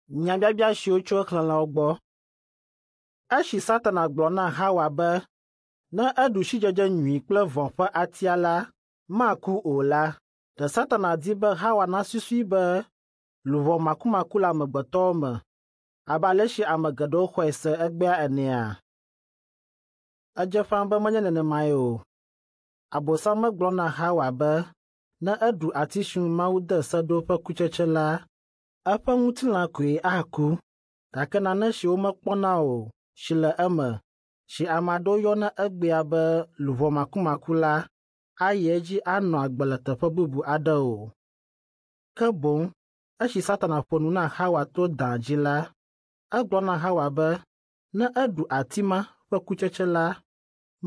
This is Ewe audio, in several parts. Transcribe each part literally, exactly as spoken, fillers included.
Nyabiabia siwo tso exlẽlawo gbɔ. Esi Satana gblɔ na Hawa be ne eɖu sidzedze nyui kple vɔ̃ ƒe atia la, maku o la, ɖe Satana di be Hawa nasusui be luʋɔ makumaku le amegbetɔwo me abe ale si ame geɖewo xɔe se egbea enea? Edze ƒãa be menye nenemae o. Abosam megblɔ na Hawa be ne eɖu ati si ŋu Mawu de se ɖo ƒe kutsetse la, eƒe ŋutilã koe aku, gake nane si womekpɔna o si le eme, si ame aɖewo yɔna egbea be luʋɔ makumaku la, ayi edzi anɔ agbe le teƒe bubu aɖe o. Ke boŋ esi Satana ƒo nu na Hawa to da dzi la, egblɔ na Hawa be ne eɖu ati ma ƒe kutsetse la,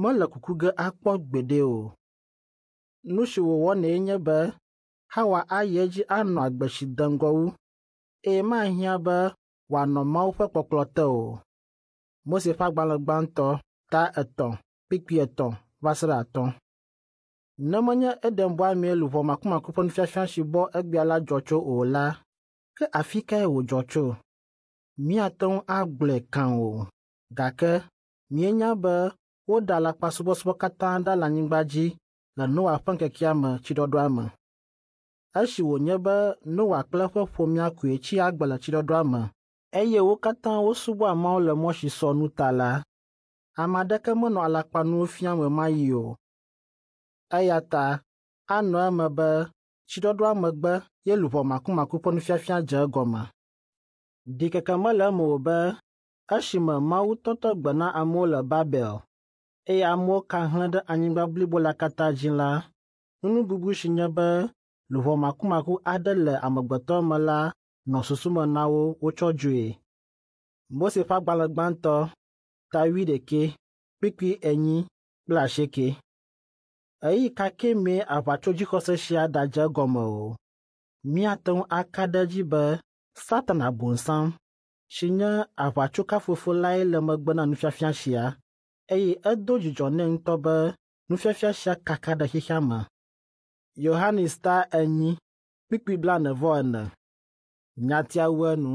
mele kuku ge akpɔ gbeɖe o. Nu si wòwɔnɛ nye be Hawa ayi edzi anɔ agbe si de ŋgɔ wu eye mahiã be wòanɔ Mawu ƒe kpɔkplɔ te o. Mose ƒe agbalẽ gbãtɔ ta etɔ̃ kpukpui etɔ̃ va se ɖe atɔ̃. Ne menye Edenbɔa mee luʋɔ makumaku ƒe nufiafia si bɔ egbea la dzɔ tso o la, ke afi kae wòdzɔ tso? Míate ŋu agblɔe kã o, gake míenya be woɖe alakpasubɔsubɔ katã ɖa le anyigba dzi le Noa ƒe ŋkekea me tsiɖɔɖɔa me. Esi wònye be Noa kple eƒe ƒomea koe tsi agbe le tsiɖɔɖɔa me eye wo katã wosubɔa Mawu le mɔ si sɔ nu ta la, ame aɖeke menɔ alakpanuwo fiam ɣemaɣi o. Eya ta anɔ eme be tsiɖɔɖɔa megbe ye luʋɔ makumaku ƒe nufiafia dze egɔme. Ɖikeke mele eme o be esime Mawu tɔtɔ gbe na amewo le Babel eye amewo ka hlẽ ɖe anyigba blibo la katã dzi la, nuŋububu si nye be luʋɔ makumaku aɖe le amegbetɔ me la nɔ susu me na wo wotsɔ dzoe. Mose ƒe agbalẽ gbãtɔ ta wuiɖekɛ kpukpui enyi kple asieke. Ɣeyiɣi ka ke mee aʋatsodzixɔse sia ɖadze egɔme o, míate ŋu aka ɖe edzi be Satana Bonsam, si nye aʋatsokafofo lae le megbe na nufiafia sia, eye edo dzidzɔ nɛ ŋutɔ be nufiafia sia kaka ɖe xexea me. Yohanes ta enyi kpukpui blaene-vɔ-ene. Nyatia wu enu.